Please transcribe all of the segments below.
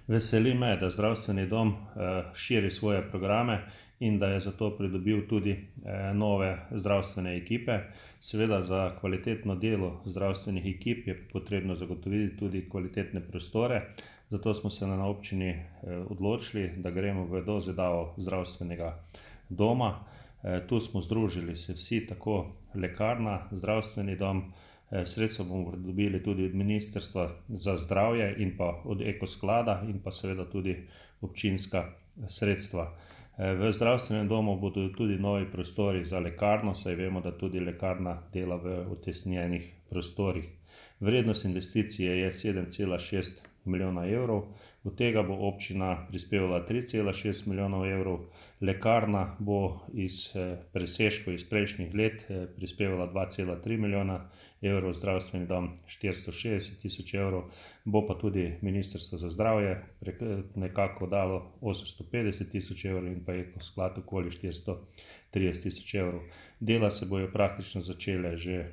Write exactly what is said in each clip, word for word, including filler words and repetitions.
Veseli me, da zdravstveni dom širi svoje programe in da je zato pridobil tudi nove zdravstvene ekipe. Seveda za kvalitetno delo zdravstvenih ekip je potrebno zagotoviti tudi kvalitetne prostore, zato smo se na občini odločili, da gremo v dozidavo zdravstvenega doma. Tu smo združili se vsi, tako lekarna, zdravstveni dom, sredstva bomo dobili tudi od Ministrstva za zdravje in pa od Eko sklada in pa seveda tudi občinska sredstva. V zdravstvenem domu bodo tudi novi prostori za lekarno, saj vemo, da tudi lekarna dela v utesnjenih prostorih. Vrednost investicije je sedem cela šest milijona evrov, od tega bo občina prispevala tri cela šest milijonov evrov, lekarna bo iz presežkov iz prejšnjih let prispevala dva cela tri milijona evrov, zdravstveni dom štiristo šestdeset tisoč evrov, bo pa tudi Ministrstvo za zdravje nekako dalo osemsto petdeset tisoč evrov in pa Eko sklad okoli štiristo trideset tisoč evrov. Dela se bojo praktično začele že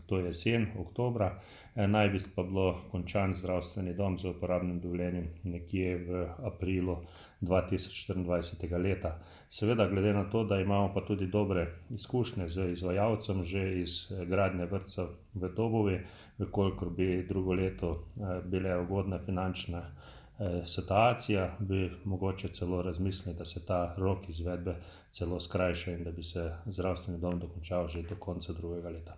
to jesen, oktobra, naj bi pa bilo končan zdravstveni dom z uporabnim dovoljenjem nekje v aprilu dva tisoč štiriindvajsetega leta. Seveda glede na to, da imamo pa tudi dobre izkušnje z izvajalcem že iz gradnje vrtca v Dobovi, v kolikor bi drugo leto bile ugodne finančne situacija, bi mogoče celo razmislili, da se ta rok izvedbe celo skrajša in da bi se zdravstveni dom dokončal že do konca drugega leta.